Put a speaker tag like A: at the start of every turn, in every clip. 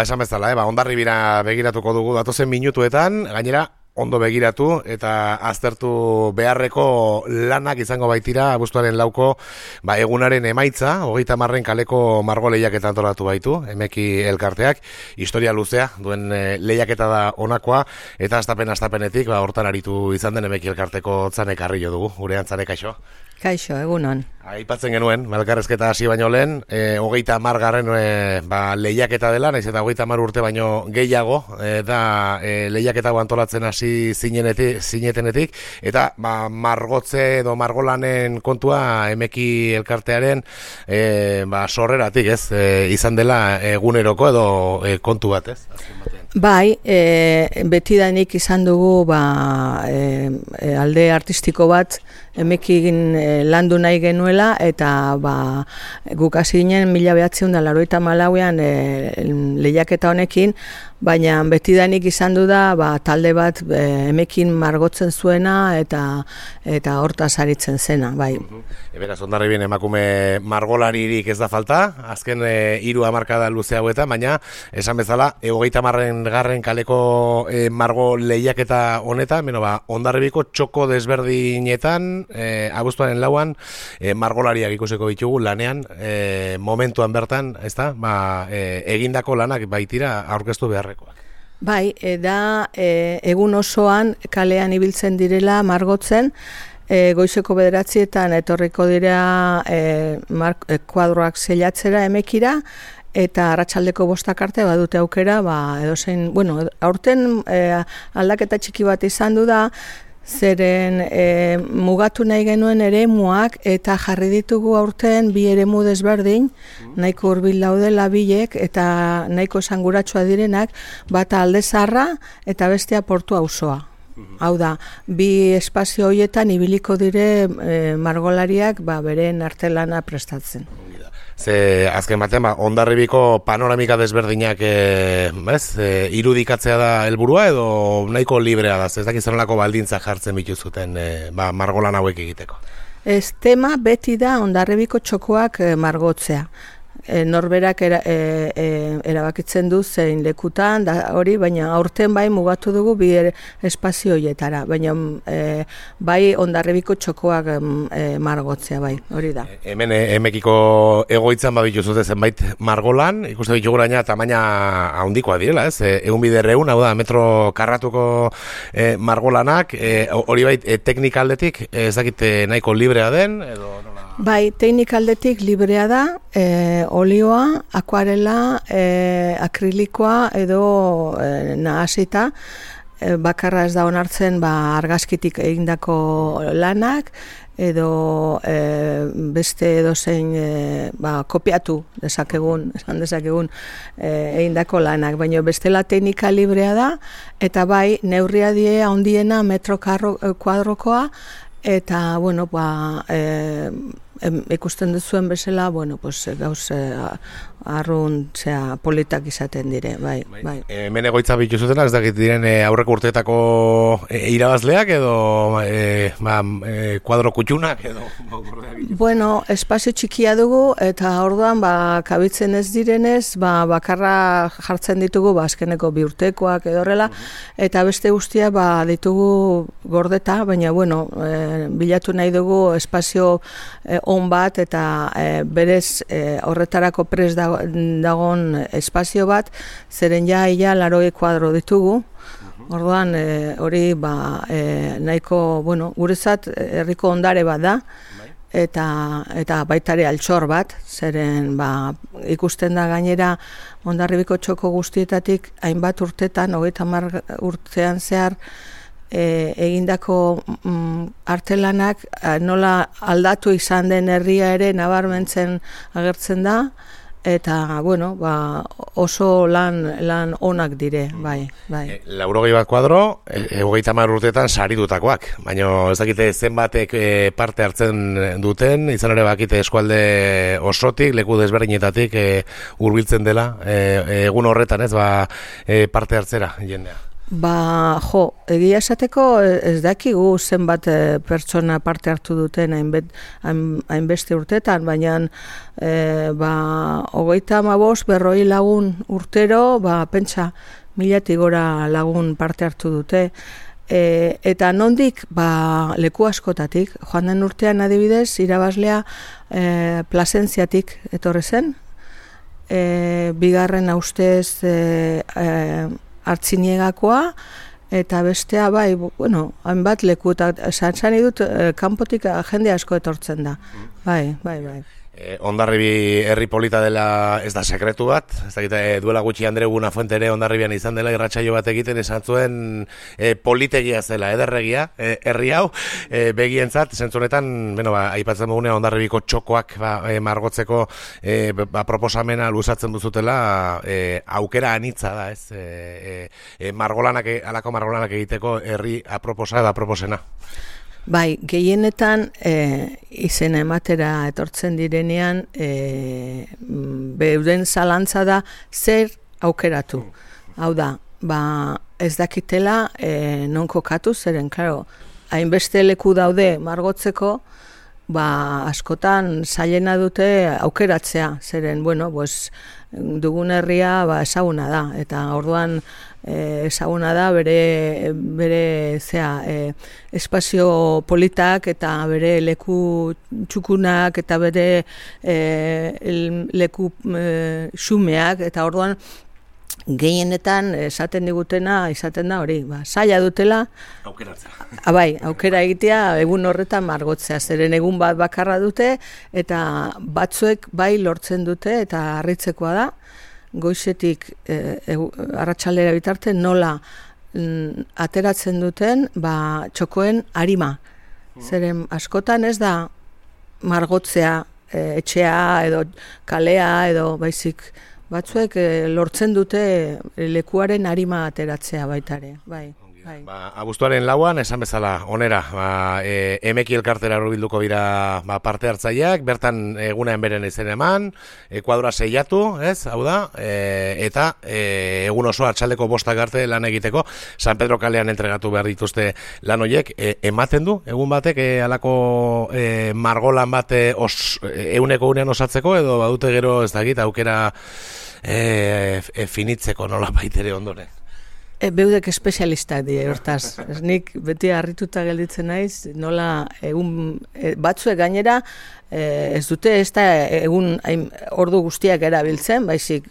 A: Esan bezala, Hondarribira begiratuko dugu datozen minutuetan, gainera ondo begiratu eta aztertu beharreko lanak izango baitira abuztuaren 4ko egunaren emaitza, 30 kaleko margo lehiaketa antolatu baitu, Emeki elkarteak, historia luzea, duen lehiaketa da honakoa, eta astapenetik hortan aritu izan den Emeki elkarteko Txane Carrillo dugu, gurean Txane, kaixo?
B: Kaixo, egunon.
A: Aipatzen genuen, elkarrezketa hasi baino lehen, 30 lehiaketa dela, naiz eta 30 urte baino gehiago, eta lehiaketa antolatzen hasi zinetenetik, eta margotze edo margolanen kontua Emeki elkartearen sorreratik, ez? Izan dela eguneroko edo kontu bat, ez?
B: Bai, betidanik izan dugu alde artistiko bat Emekin landu nahi genuela, eta guk hasi ginen 1984an lehiaketa honekin, baina betidanik izan du da talde bat Emekin margotzen zuena eta hortaz aritzen zena, bai.
A: Beraz, Hondarribien emakume margolaririk ez da falta, azken 3 hamarkada luze hauetan, baina esan bezala 30 kaleko margo lehiaketa honetan, Hondarribiko txoko desberdinetan, abuztuaren 4an margolariak ikusiko ditugu lanean, momentuan bertan, ezta? Egindako lanak baitira aurkeztu beharrekoak.
B: Bai, egun osoan kalean ibiltzen direla margotzen, goizeko 9etan etorriko dira kuadroak seilatzera Emekira, eta arratsaldeko 5 arte badute aukera, edozein, aurten aldaketa txiki bat izan du da, zeren mugatu nahi genuen eremuak, eta jarri ditugu aurten 2 eremu desberdin, nahiko hurbil daudela biek, eta nahiko esanguratsua direnak, bata Alde Zaharra eta bestea Portu auzoa. Hau da, 2 espazio horietan ibiliko dire margolariak beren artelana prestatzen.
A: Ze azken batean, Hondarribiko panoramika desberdinak irudikatzea da helburua edo nahiko librea da, ez dakit zenolako baldintza jartzen bituzuten margolan hauek egiteko?
B: Ez, tema beti da Hondarribiko txokoak margotzea. Norberak erabakitzen du zein lekutan, hori, baina aurten mugatu dugu 2 espazio horietara, baina bai Hondarribiko txokoak margotzea, bai, hori da.
A: Hemen Emekiko egoitzan babituzute zenbait margolan, ikuste ditugu gaina tamaina handikoa direla, ez? 1.200, hau da, metro karratuko margolanak, hori bai teknikaldetik, ez dakit nahiko librea den, edo nola?
B: Bai, teknikaldetik librea da, olioa, akuarela, akrilikoa edo nahasita, bakarra ez da onartzen argazkitik egindako lanak, edo beste edozein kopiatu esan dezakegun egindako lanak, baina bestela teknika librea da, eta bai, neurria die handiena metro kuadrokoa, eta, ikusten duzuen bezala, gauz arrun politak izaten dire, bai.
A: Hemen egoitza bituzutena, ez dakit diren aurreko urteetako irabazleak edo kuadro kutxunak edo?
B: Espazio txikia dugu, eta orduan kabitzen ez direnez, bakarra jartzen ditugu, azkeneko 2 urtekoak edo horrela, eta beste guztia ditugu gordeta, baina bilatu nahi dugu espazio on bat, eta berez horretarako prest dagon espazio bat, zeren ia 80 kuadro ditugu. Orduan hori nahiko, guretzat herriko ondare bat da, eta baitare altxor bat, zeren ikusten da gainera Hondarribiko txoko guztietatik hainbat urtetan, 30 urtean zehar, egindako artelanak nola aldatu izan den herria ere nabarmentzen agertzen da, eta, oso lan onak dire, bai.
A: 80 kuadro, 30 urteetan saritutakoak, baina ez dakite zenbatek parte hartzen duten, izan ere bakite eskualde osotik, leku desberdinetatik hurbiltzen dela, egun horretan, ez, parte hartzera jendea.
B: Egia esateko ez dakigu zenbat pertsona parte hartu duten hainbeste urtetan, baina 35-40 lagun urtero, pentsa 1000 gora lagun parte hartu dute. Eta nondik, leku askotatik, joan den urtean adibidez, irabaslea Plasentziatik etorri zen, bigarren ustez Artziniagakoa, eta bestea hainbat leku, eta esan dut, kanpotik jende asko etortzen da. Bai.
A: Hondarribi herri polita dela ez da sekretu bat, ez dakit, duela gutxi Andre Buenafuente ere Hondarribian izan dela irratsaio bat egiten esan zuen politegia zela, ederregia, herri hau, begientzat, zentzunetan, aipatzen dugunean Hondarribiko txokoak margotzeko proposamena luzatzen duzutela, aukera anitza da, ez? Alako margolanak egiteko herri aproposa da aproposena.
B: Bai, gehienetan izena ematera etortzen direnean beuden zalantza da zer aukeratu. Hau da, ez dakitela non kokatu, zeren, klaro, hainbeste leku daude margotzeko, askotan zailena dute aukeratzea, zeren, dugun herria ezaguna da, eta orduan ezaguna da bere espazio politak eta bere leku txukunak eta bere leku xumeak, eta orduan gehienetan esaten digutena izaten da hori, zaila dutela
A: aukeratzea.
B: Aukera egitea egun horretan margotzea, zeren egun bat bakarra dute eta batzuek lortzen dute, eta harritzekoa da goizetik arratsaldera bitarte nola ateratzen duten txokoen arima. Zeren askotan ez da margotzea etxea edo kalea edo baizik batzuek lortzen dute lekuaren arima ateratzea baitare. Bai.
A: Abuztuaren 4 esan bezala, onera, emeki elkartera hurbilduko dira parte hartzaileak, bertan egunean beren izen eman, kuadura seiatu, ez, hau da, eta egun oso atxaldeko 5 arte lan egiteko, San Pedro kalean entregatu behar dituzte lan horiek, ematen du, egun batek, alako margolan bat eguneko unean osatzeko, edo badute gero ez dakit, aukera finitzeko nola baitere ondoren.
B: Beudek espezialistak dira, hortaz. Nik beti harrituta gelditzen naiz, nola egun batzuek gainera ez dute ez da egun ordu guztiak erabiltzen, baizik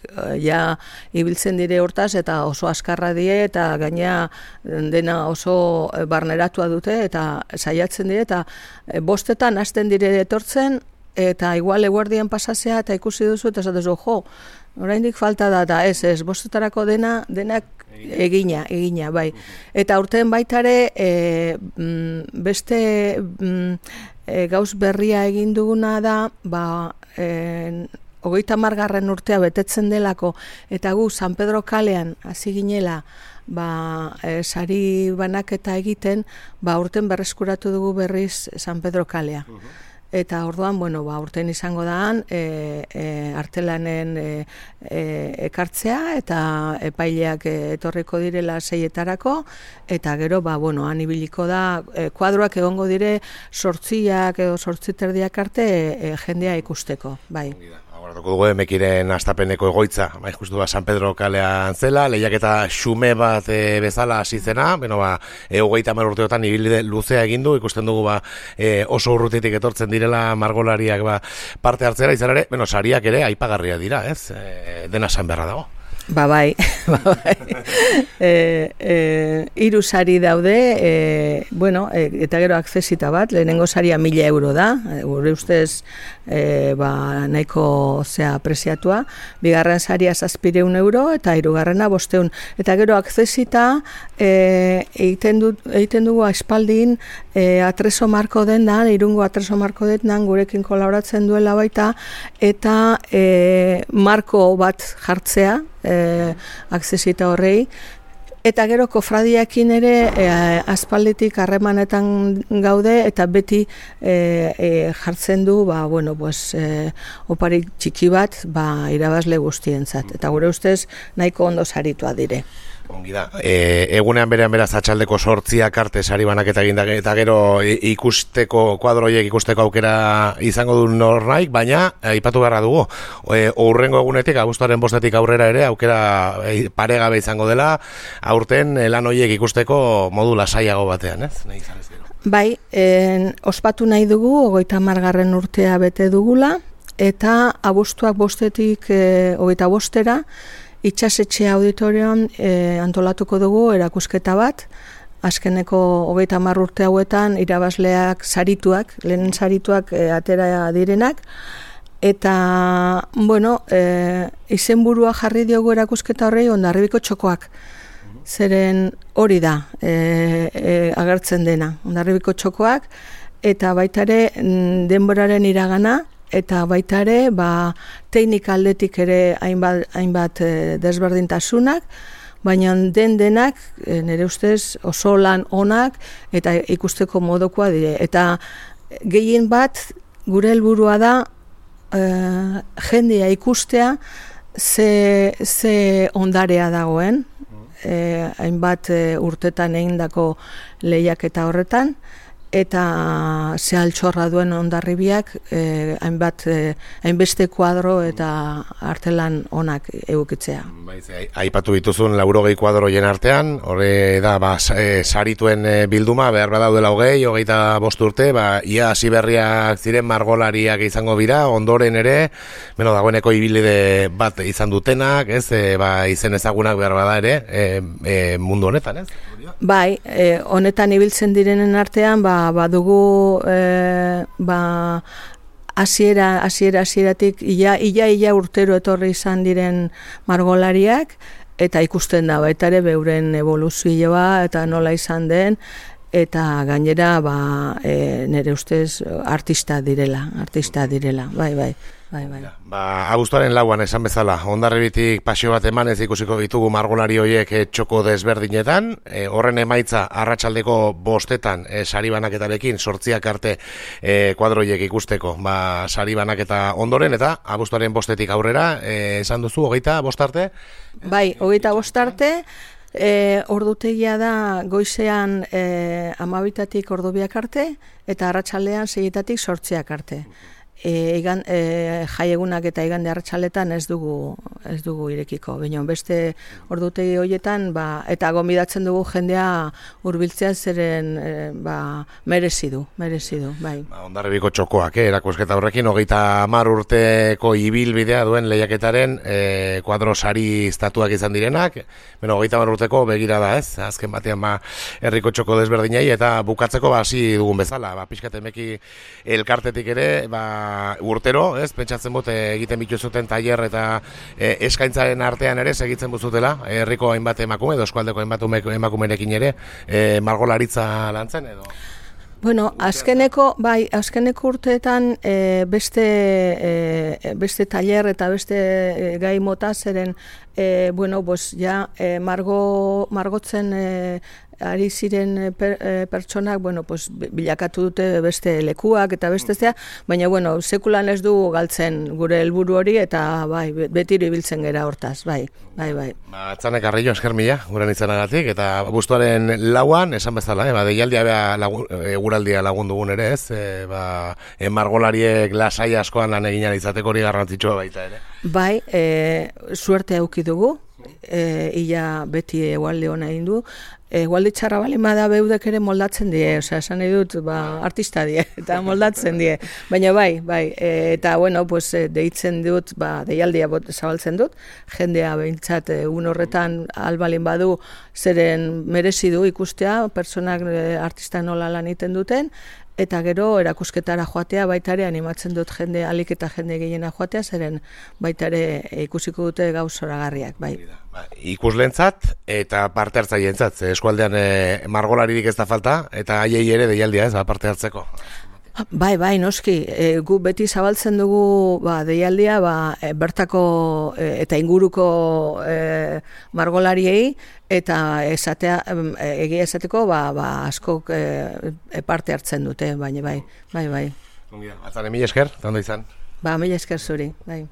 B: ibiltzen dire hortaz eta oso askarra die eta gainera dena oso barneratua dute eta saiatzen dire eta 5etan hasten dire etortzen eta igual eguerdian pasasea eta ikusi duzu eta esatezu, oraindik falta da, eta ez, 5etarako denak egina, bai. Eta urten baitare beste gauz berria egin duguna da, 30. urtea betetzen delako, eta gu San Pedro kalean hasi ginela sari banaketa egiten, urten berreskuratu dugu berriz San Pedro kalea. Eta orduan, urten izango daan, artelanen ekartzea, eta epaileak etorriko direla 6etarako, eta gero, han ibiliko da, kuadroak egongo dire 8 edo 8:30 arte jendea ikusteko, bai.
A: Agoratuko dugu emekiren astapeneko egoitza, justu San Pedro kalean zela, lehiaketa xume bat bezala hasi zena, 30 urteotan ibilbide luzea egin du, ikusten dugu oso urrutitik etortzen direla margolariak parte hartzera, izan ere, sariak ere aipagarria dira, ez? Dena esan beharra dago.
B: Bai. 3 sari daude, eta gero akzesita bat, lehenengo saria 1000 euro da, gure ustez nahiko preziatua, bigarren saria 700 euro, eta 3. 500. Eta gero akzesita egiten dugu aspaldin Atreso Marko dendan, Irungo Atreso Marko dendan gurekin kolaboratzen duela baita, eta marko bat jartzea, akzesita horrei, eta gero kofradiakin ere aspalditik harremanetan gaude, eta beti jartzen du oparik txiki bat irabazle guztientzat, eta gure ustez nahiko ondo saritua dire.
A: Ongi da. Egunean beraz atxaldeko 8 arte sari banaketa egin da, eta gero ikusteko kuadroiek ikusteko aukera izango du nornaik, baina aipatu beharra dugu. Hurrengo egunetik, abuztuaren 5 aurrera ere aukera paregabe izango dela, aurten lan horiek ikusteko modu lasaiago batean, ez? Nahi izan ez gero.
B: Bai, ospatu nahi dugu 30. urtea bete dugula, eta abuztuak 5-tik 25-era itxasetxe auditorion antolatuko dugu erakusketa bat. Azkeneko 30 urte hauetan irabazleak sarituak, lehen sarituak atera direnak. Eta, bueno, izenburua jarri diogu erakusketa horrei Hondarribiko txokoak. Zeren hori da agertzen dena, Hondarribiko txokoak, eta baita ere denboraren iragana, eta baita ere teknika aldetik ere hainbat desberdintasunak, baina denak nire ustez oso lan onak eta ikusteko modukoa dire. Eta gehien bat gure helburua da jendea ikustea ze ondarea dagoen, hainbat urtetan egindako lehiaketa horretan, eta ze altxorra duen Hondarribiak hainbeste kuadro eta artelan onak egukitzea.
A: Aipatu dituzun 80 kuadroien artean, horre da sarituen bilduma, behar badaudela 25 urte, ia hasi berriak ziren margolariak izango bira, ondoren ere, dagoeneko ibilbide bat izan dutenak, ez, izen ezagunak behar bada ere, mundu honetan, ez?
B: Bai, honetan ibiltzen direnen artean, badugu hasieratik ia urtero etorri izan diren margolariak, eta ikusten da baita ere beuren evoluzioa eta nola izan den, eta gainera nire ustez artista direla, bai.
A: Abuztuaren 4 esan bezala, Hondarribitik pasio bat emanez ikusiko ditugu margolari horiek txoko desberdinetan, horren emaitza arratsaldeko 5etan sari banaketarekin 8 arte kuadroiek ikusteko sari banaketa ondoren, eta abuztuaren 5etik aurrera, esan duzu, 25 arte?
B: Bai, 25 arte, ordutegia da goizean 12-tik ordu 2 arte, eta arratsaldean 6-tatik 8 arte. Jaiegunak eta igande arratsaletan ez dugu irekiko. Baina beste ordutegi horietan eta gonbidatzen dugu jendea hurbiltzea, zeren merezi du, bai.
A: Hondarribiko txokoak, erakusketa horrekin 30 urteko ibilbidea duen lehiaketaren kuadro sari estatuak izan direnak, 30 urteko begira da, ez? Azken batean herriko txoko desberdinei, eta bukatzeko hasi dugun bezala, pixkat emeki elkartetik ere, urtero, ez, pentsatzen bote egiten bituzuten tailer eta eskaintzaren artean ere segitzen buzutela, herriko hainbat emakume, edo eskualdeko hainbat emakumerekin ere, margolaritza lantzen edo?
B: Bueno, azkeneko urteetan beste tailer eta beste gai mota zeren, margotzen ari ziren pertsonak, bilakatu dute beste lekuak eta beste zea, baina, sekulan ez du galtzen gure helburu hori, eta betiro ibiltzen gera hortaz, bai.
A: Atzanek Arrillo, esker mila, guren izanagatik, eta abuztuaren 4 esan bezala, deialdia eguraldia lagun dugun ere, ez, margolariek lasai askoan lan egin izateko hori garrantzitsua baita ere.
B: Bai, suerte auki dugu, ia beti egualde hona egin du, egualde txarra balima beudek ere moldatzen die, esan nahi dut, artista die, eta moldatzen die, baina bai, eta deitzen dut, deialdia zabaltzen dut, jendea behintzat egun horretan albalin badu, zeren merezi du ikustea, personak artista nola lan egiten duten, eta gero erakusketara joatea baita ere animatzen dut jende, alik eta jende gehiena joatea, zeren baita ere ikusiko dute gauz zoragarriak, bai.
A: Ikuslentzat eta parte hartzailentzat, eskualdean margolaririk ez da falta, eta haiei ere deialdia ez, parte hartzeko.
B: Bai, noski, gu beti zabaltzen dugu deialdia bertako eta inguruko margolariei, eta egia esateko askok parte hartzen dute, baina bai.
A: Atzane, mila esker, eta ondo izan?
B: Mila esker zuri, bai.